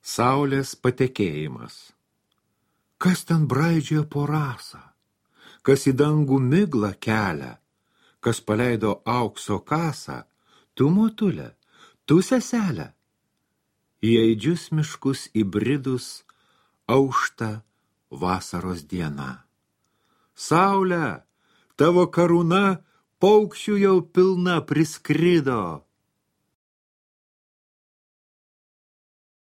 Saulės patekėjimas. Kas ten braidžioja po rasą? Kas į dangų miglą kelia? Kas paleido aukso kasą? Tu, motulė, tu, seselė? Į aidžius miškus įbridus aušta vasaros diena. Saulė, tavo karūna paukščių jau pilna priskrido.